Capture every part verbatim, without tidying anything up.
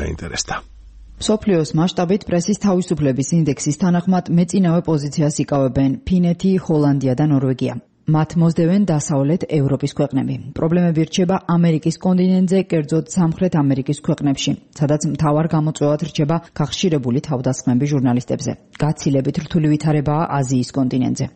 დაინტერესდა. მსოფლიოს მასშტაბით პრესის თავისუფლების ინდექსის თანახმად მეწინავე პოზიციას იკავებენ ფინეთი, ჰოლანდია და ნორვეგია. მათ მოსდევენ დასავლეთ ევროპის ქვეყნები. პრობლემები რჩება ამერიკის კონტინენტზე, კერძოდ სამხრეთ ამერიკის ქვეყნებში, სადაც მთავარ გამოწვევად რჩება გახშირებული თავდასხმები ჟურნალისტებზე. გაცილებით რთული ვითარებაა აზიის კონტინენტზე.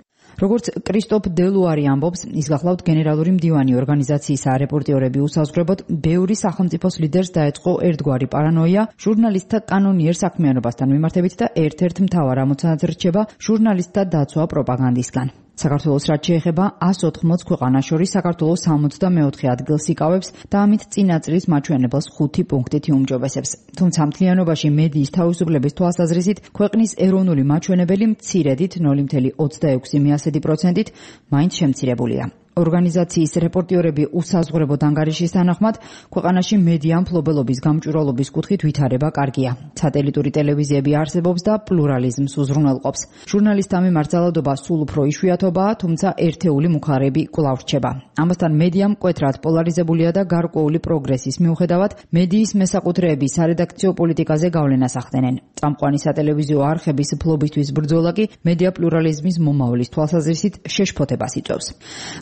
როგორც კრისტოფ დელუარი ამბობს, ის გახლავთ გენერალური მდივანი ორგანიზაციისა რეპორტიორები უსაზღვრებოდ, ბევრი სახელმწიფოს ლიდერს დაეწყო ერთგვარი პარანოია ჟურნალისტთა კანონიერ საქმიანობასთან მიმართებით და ერთ-ერთ მთავარ ამოცანად რჩება ჟურნალისტთა დაცვა პროპაგანდისგან. საქართველოს რაც შეეხება ას ოთხმოც ქვეყანას შორის საქართველოს სამოცდამეოთხე ადგილს იკავებს და ამით წინა წლის მაჩვენებელს ხუთი პუნქტით იუმჯობესებს. თუმცა მთლიანობაში მედიის თავისუფლების თვალსაზრისით ქვეყნის ეროვნული მაჩვენებელი მცირედით ნული virgulă ოცდაექვსი პროცენტით მაინც შემცირებულია. ორგანიზაციის რეპორტიორები უსაზღვრებოდ ანგარიშის თანახმად, ქვეყანაში მედია მფლობელობის გამჭვირვალობის კუთხით ვითარება კარგია. სატელიტური ტელევიზიები არსებობს და პლურალიზმს უზრუნველყოფს. ჟურნალისტთა მიმართ ძალადობა სულ უფრო იშვიათობაა, თუმცა ერთეული მუხარები კვლავ რჩება. ამასთან მედია მკვეთრად პოლარიზებულია და გარკვეული პროგრესის მიუხედავად, მედიის მესაკუთრეები სარედაქციო პოლიტიკაზე გავლენას ახდენენ. წამყვანი სატელევიზიო არხების ფლობისთვის ბრძოლა კი მედია პლურალიზმის მომავლის თვალსაზრისით შეშფოთებას იწვევს.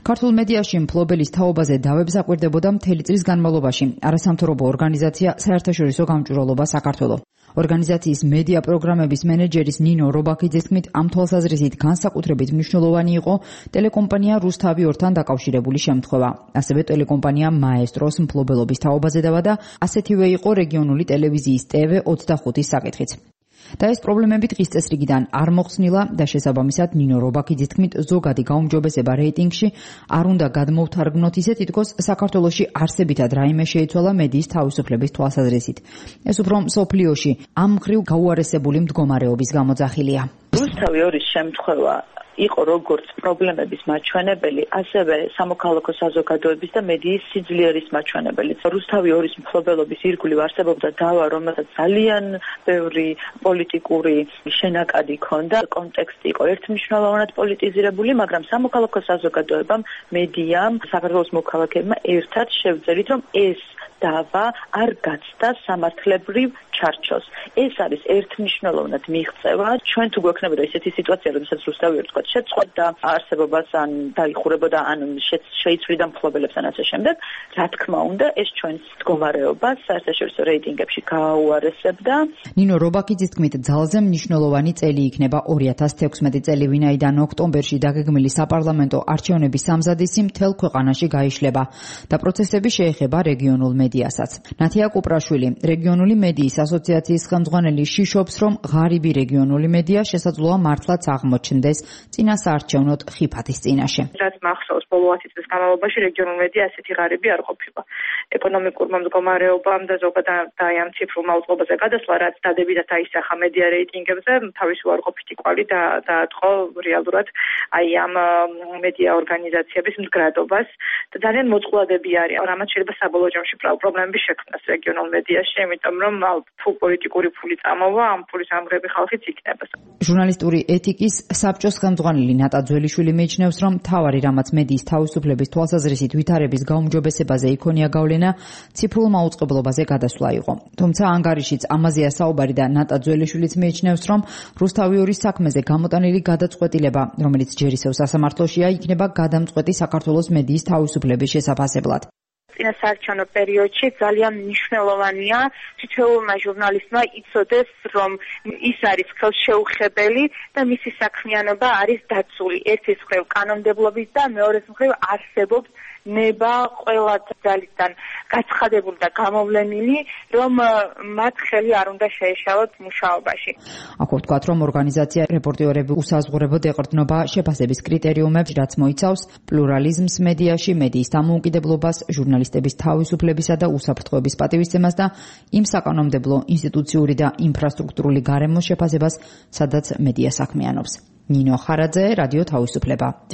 ქართულ მედიაში მფლობელის თაობაზე დავებს აკვირდებოდა მთელი წლის განმავლობაში არასამთავრობო ორგანიზაცია საერთაშორისო გამჭვირვალობა საქართველო. ორგანიზაციის მედია პროგრამების მენეჯერის ნინო რობაქიძის თქმით, ამ თვალსაზრისით განსაკუთრებით მნიშვნელოვანი იყო ტელეკომპანია რუსთავი ორთან დაკავშირებული შემთხვევა. ასევე ტელეკომპანია მაესტროს მფლობელობის თაობაზე დავა და ასეთივე იყო რეგიონული ტელევიზიის ტე ვე ოცდახუთის საკითხიც. და ეს პრობლემები დღის წესრიგიდან არ მოხსნილა და შესაბამისად ნინო რობაქიძის თქმით, ზოგადი გაუმჯობესება რეიტინგში არ უნდა გადმოვთარგმნოთ ისე, თითქოს საქართველოში არსებითად რაიმე შეიცვალა მედიის თავისუფლების თვალსაზრისით. ეს უფრო მსოფლიოში ამ მხრივ გაუარესებული მდგომარეობის გამოძახილია. რუსთავი ორის შემთხვევა იყო როგორც პრობლემების მაჩვენებელი, ასევე სამოქალაქო საზოგადოების და მედიის სიძლიერის მაჩვენებელი. რუსთავი ორის მფლობელობის ირგვლივ არსებობდა დავა, რომელსაც ძალიან ბევრი პოლიტიკური შენაკადი ჰქონდა. კონტექსტი იყო ერთმნიშვნელოვნად პოლიტიზირებული, მაგრამ სამოქალაქო საზოგადოებამ, მედიამ, საქართველოს მოქალაქეებმა ერთად შევძელით, რომ ეს დავა არ გაცდა სამართლებრივ ჩარჩოს. ეს არის ერთმნიშვნელოვნად მიღწევა. ჩვენ თუ გვექნებოდა ისეთი სიტუაცია, როდესაც რუსთავი ორი თქვათ შეწყვეტდა არსებობას, ან დაიხურებოდა, ან შეიცვლიდა მფლობელებს ან ასე შემდეგ, რა თქმა უნდა, ეს ჩვენს მდგომარეობას საერთაშორისო რეიტინგებში გააუარესებდა. ნინო რობაქიძის თქმით, ძალზე მნიშვნელოვანი წელი იქნება ორი ათას თექვსმეტი წელი, ვინაიდან ოქტომბერში დაგეგმილი საპარლამენტო არჩევნების სამზადისი მთელ ქვეყანაში გაიშლება და პროცესები შეეხება რეგიონულ მედიასაც. ნათია კუპრაშვილი, რეგიონული მედიის ასოციაციის ხელმძღვანელი, შიშობს, რომ ღარიბი რეგიონული მედია შესაძლოა მართლაც აღმოჩნდეს წინასაარჩევნოდ ხიფათის წინაშე. რაც მახსოვს, ბოლო ათი წლის განმავლობაში რეგიონულ მედია ასეთი ღარიბი არ ყოფილა. ეკონომიკურმა მდგომარეობამ და ზოგადად აი ამ ციფრულმა უწყობაზე გადასვლა, რაც დადებითად აისახა მედია რეიტინგებზე, თავისი უარყოფითი კვალი დაატყო რეალურად აი ამ მედია ორგანიზაციების მდგრადობას და ძალიან მოწყვლადები არის. რამაც შეიძლება საბოლოო ჯამში პრობლემები შექმნას რეგიონულ მედიაში, იმიტომ რომ თუ პოლიტიკური ფული წამოვა, ამ ფულის ამღები ხალხიც იქნება. ჟურნალისტური ეთიკის საბჭოს ხელმძღვანელი ნატა ძველიშვილი მიიჩნევს, რომ მთავარი რამაც მედიის თავისუფლების თვალსაზრისით ვითარების გაუმჯობესებაზე იქონია გავლენა, ციფრულ მაუწყებლობაზე გადასვლა იყო. თუმცა ანგარიშიც ამაზეა საუბარი და ნატა ძველიშვილიც მიიჩნევს, რომ რუსთავი ორის საქმეზე გამოტანილი გადაწყვეტილება, რომელიც ჯერ ისევ სასამართლოშია, იქნება გადამწყვეტი საქართველოს მედიის თავისუფლების შესაფასებლად. წინასაარჩევნო პერიოდში ძალიან მნიშვნელოვანია თითოეულმა ჟურნალისტმა იცოდეს, რომ ის არის ხელშეუხებელი და მისი საქმიანობა არის დაცული. ერთის მხრივ კანონმდებლობით და მეორეს მხრივ არსებობს ნება ყველა ძალისგან გაცხადებული და გამოვლენილი, რომ მათ ხელი არ უნდა შეეშალოთ მუშაობაში. აქ ვთქვათ, რომ ორგანიზაცია რეპორტიორები უსაზღვრებოდ ეყრდნობა შეფასების კრიტერიუმებს, რაც მოიცავს პლურალიზმს მედიაში, მედიის დამოუკიდებლობას, ჟურნალისტების თავისუფლებისა და უსაფრთხოების პატივისცემას და იმ საკანონმდებლო, ინსტიტუციური და ინფრასტრუქტურული გარემოს შეფასებას, სადაც მედია საქმიანობს. ნინო ხარაძე, რადიო თავისუფლება.